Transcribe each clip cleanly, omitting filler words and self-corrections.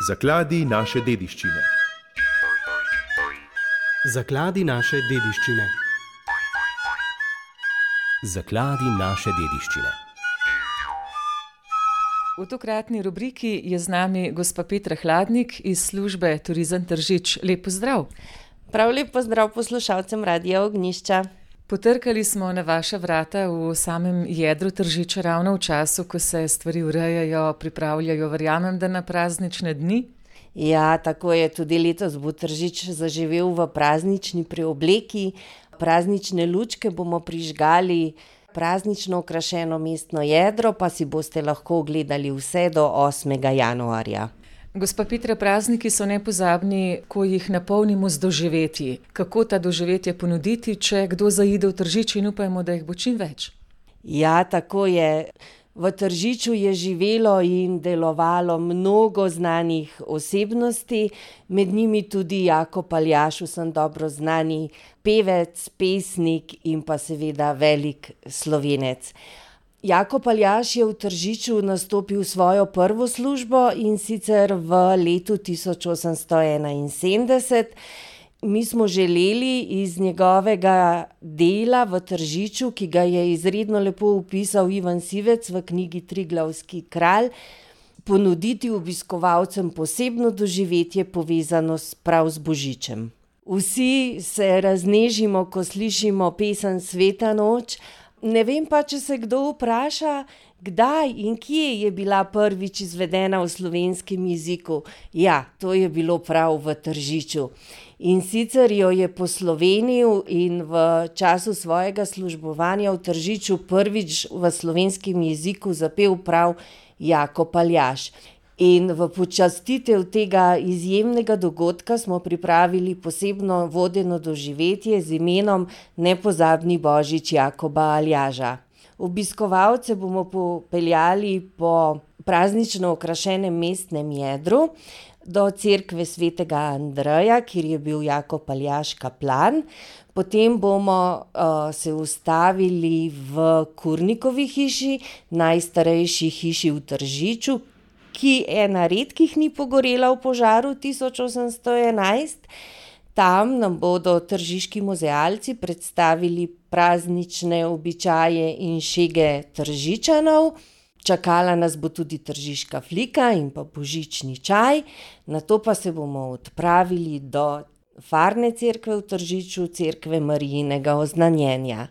Zakladi naše dediščine. Zakladi naše dediščine. Zakladi naše dediščine. V tokratni rubriki je z nami gospa Petra Hladnik iz službe Turizem Tržič. Lep pozdrav. Prav lep pozdrav poslušalcem Radia Ognjišča. Potrkali smo na vaša vrata v samem jedru Tržiča ravno v času, ko se stvari urejajo, pripravljajo, verjamem, da na praznične dni. Ja, tako je, tudi letos bo Tržič zaživel v praznični preobleki. Praznične lučke bomo prižgali, praznično okrašeno mestno jedro pa si boste lahko ogledali vse do 8. januarja. Gospa Petra, prazniki so nepozabni, ko jih napolnimo z doživetji. Kako ta doživetje ponuditi, če kdo zaide v Tržič in upajmo, da jih bo čim več? Ja, tako je. V Tržiču je živelo in delovalo mnogo znanih osebnosti, med njimi tudi Jakob Aljaž, vsem dobro znani pevec, pesnik in pa seveda velik Slovenec. Jakob Aljaž je v Tržiču nastopil svojo prvo službo in sicer v letu 1871. Mi smo želeli iz njegovega dela v Tržiču, ki ga je izredno lepo opisal Ivan Sivec v knjigi Triglavski kralj, ponuditi obiskovalcem posebno doživetje povezano prav z Božičem. Vsi se raznežimo, ko slišimo pesem Sveta noč. Ne vem pa, če se kdo vpraša, kdaj in kje je bila prvič izvedena v slovenskem jeziku. Ja, to je bilo prav v Tržiču. In sicer jo je poslovenil in v času svojega službovanja v Tržiču prvič v slovenskem jeziku zapel prav Jakob Aljaž. In v počastitev tega izjemnega dogodka smo pripravili posebno vodeno doživetje z imenom Nepozabni Božič Jakoba Aljaža. Obiskovalce bomo popeljali po praznično okrašenem mestnem jedru do cerkve svetega Andreja, kjer je bil Jakob Aljaž kaplan. Potem bomo se ustavili v Kurnikovi hiši, najstarejši hiši v Tržiču, ki ena redkih ni pogorela v požaru 1811. Tam nam bodo tržiški muzealci predstavili praznične običaje in šege Tržičanov. Čakala nas bo tudi tržiška flika in pa božični čaj. Nato pa se bomo odpravili do farne cerkve v Tržiču, cerkve Marijinega oznanjenja.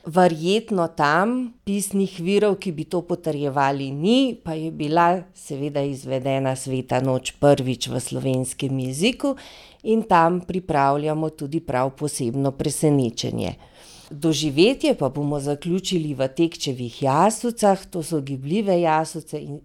Verjetno tam pisnih virov, ki bi to potrjevali, ni, pa je bila seveda izvedena Sveta noč prvič v slovenskem jeziku in tam pripravljamo tudi prav posebno presenečenje. Doživetje pa bomo zaključili v Tekčevih jaslicah, to so gibljive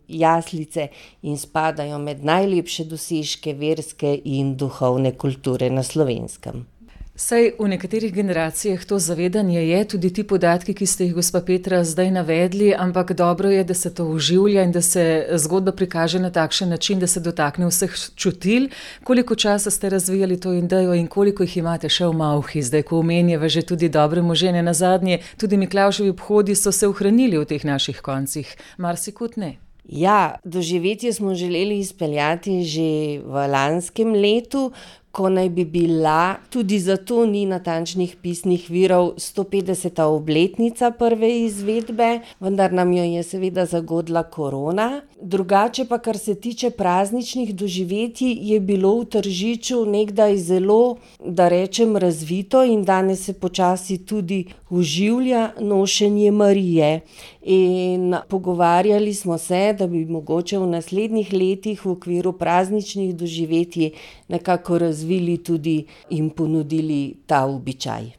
jaslice in spadajo med najlepše dosežke verske in duhovne kulture na Slovenskem. Saj v nekaterih generacijah to zavedanje je, tudi ti podatki, ki ste jih, gospa Petra, zdaj navedli, ampak dobro je, da se to oživlja in da se zgodba prikaže na takšen način, da se dotakne vseh čutil. Koliko časa ste razvijali to idejo in koliko jih imate še v malhi, zdaj ko omenjava že tudi dobre možene, nazadnje tudi Miklavževi obhodi so se ohranili v teh naših koncih, marsikut ne. Ja, doživetje smo želeli izpeljati že v lanskem letu, ko naj bi bila, tudi zato ni natančnih pisnih virov, 150. obletnica prve izvedbe, vendar nam jo je seveda zagodla korona. Drugače pa, kar se tiče prazničnih doživetij, je bilo v Tržiču nekdaj zelo, da rečem, razvito in danes se počasi tudi oživlja nošenje Marije. In pogovarjali smo se, da bi mogoče v naslednjih letih v okviru prazničnih doživetij nekako razvili tudi in ponudili ta običaj.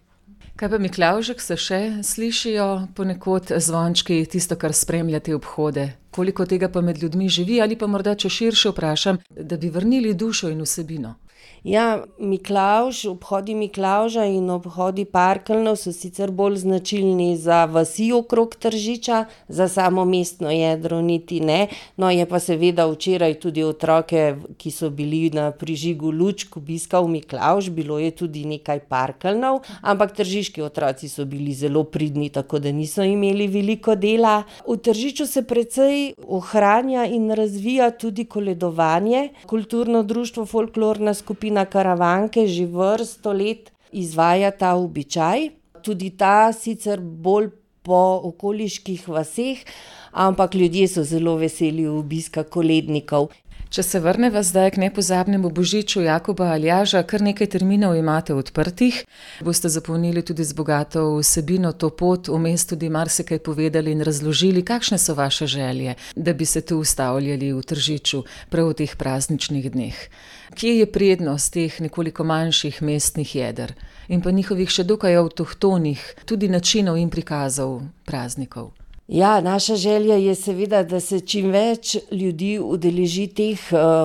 Kaj pa Miklavžek, se še slišijo ponekod zvončki, tisto, kar spremlja te obhode? Koliko tega pa med ljudmi živi ali pa morda, če širše vprašam, da bi vrnili dušo in vsebino? Ja, obhodi Miklavža in obhodi parkeljnov so sicer bolj značilni za vasi okrog Tržiča, za samo mestno jedro niti ne. No, je pa seveda včeraj tudi otroke, ki so bili na prižigu lučk, obiskal Miklavž, bilo je tudi nekaj parkeljnov, ampak tržiški otroci so bili zelo pridni, tako da niso imeli veliko dela. V Tržiču se precej ohranja in razvija tudi koledovanje. Kulturno društvo Folklorna skupina Karavanke že vrsto let izvaja ta običaj. Tudi ta sicer bolj po okoliških vaseh, ampak ljudje so zelo veseli obiska kolednikov. Če se vrneva zdaj k nepozabnemu božiču Jakoba Aljaža, kar nekaj terminov imate odprtih. Boste zapolnili tudi z bogato vsebino to pot, vmes tudi marsikaj povedali in razložili, kakšne so vaše želje, da bi se tu ustavljali v Tržiču prav v teh prazničnih dneh. Kje je prednost teh nekoliko manjših mestnih jeder in pa njihovih še dokaj avtohtonih tudi načinov in prikazov praznikov? Ja, naša želja je seveda, da se čim več ljudi udeleži teh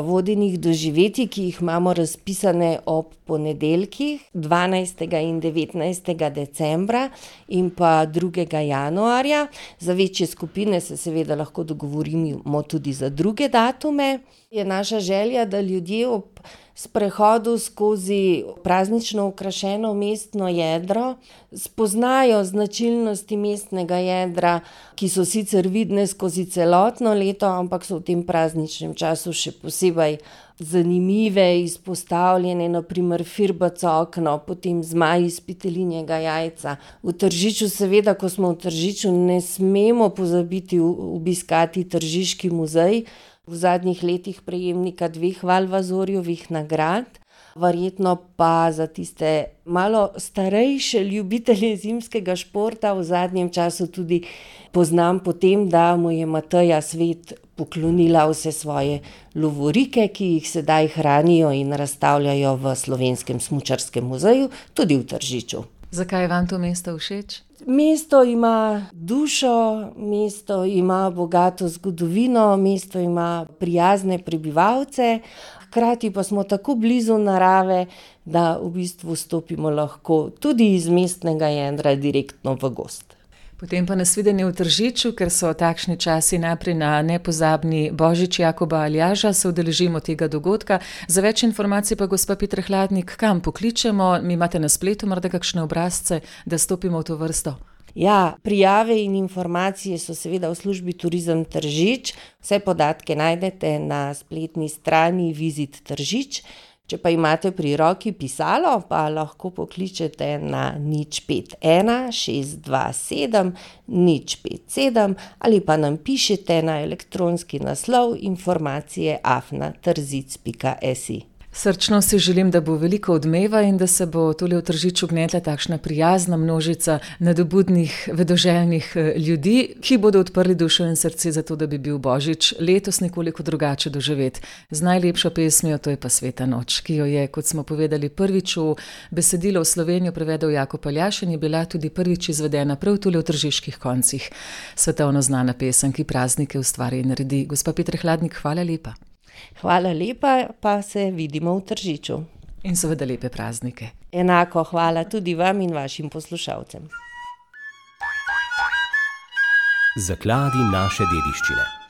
vodenih doživetij, ki jih imamo razpisane ob ponedeljkih, 12. in 19. decembra in pa 2. januarja. Za večje skupine se seveda lahko dogovorimo tudi za druge datume. Je naša želja, da ljudje ob sprehodu skozi praznično okrašeno mestno jedro spoznajo značilnosti mestnega jedra, ki so sicer vidne skozi celotno leto, ampak so v tem prazničnem času še posebej zanimive, izpostavljene, na primer firbac okno, potem zmaj iz petelinjega jajca. V Tržiču seveda, ko smo v Tržiču, ne smemo pozabiti obiskati Tržiški muzej, v zadnjih letih prejemnika 2 Valvazorjevih nagrad. Verjetno pa za tiste malo starejše ljubitelje zimskega športa v zadnjem času tudi poznam po tem, da mu je Mateja Svet poklonila vse svoje lovorike, ki jih sedaj hranijo in razstavljajo v Slovenskem smučarskem muzeju, tudi v Tržiču. Zakaj je vam to mesto všeč? Mesto ima dušo, mesto ima bogato zgodovino, mesto ima prijazne prebivalce, hkrati pa smo tako blizu narave, da v bistvu stopimo lahko tudi iz mestnega jedra direktno v gozd. Potem pa nasvidenje v Tržiču, ker so takšni časi najprej na nepozabni božič Jakoba Aljaža, se udeležimo tega dogodka. Za več informacij pa gospa Petra Hladnik, kam pokličemo? Mi imate na spletu morda kakšne obrazce, da stopimo v to vrsto? Ja, prijave in informacije so seveda v službi Turizem Tržič. Vse podatke najdete na spletni strani Vizit Tržič. Če pa imate pri roki pisalo, pa lahko pokličete na 051 627 057 ali pa nam pišete na elektronski naslov informacije@trzic.si. Srčno si želim, da bo veliko odmeva in da se bo tule v Tržiču gnetla takšna prijazna množica nadobudnih, vedoželjnih ljudi, ki bodo odprli dušo in srce za to, da bi bil božič letos nekoliko drugače doživet. Z najlepšo pesmijo, to je pa Sveta noč, ki jo je, kot smo povedali, prvič v besedilo v Slovenijo prevedel Jakob Aljaž in je bila tudi prvič izvedena prav tule v Tržiških koncih. Svetovno znana pesem, ki praznike ustvari in naredi. Gospa Petra Hladnik, hvala lepa. Hvala lepa, pa se vidimo v Tržiču. In seveda lepe praznike. Enako hvala tudi vam in vašim poslušalcem. Zakladi naše dediščine.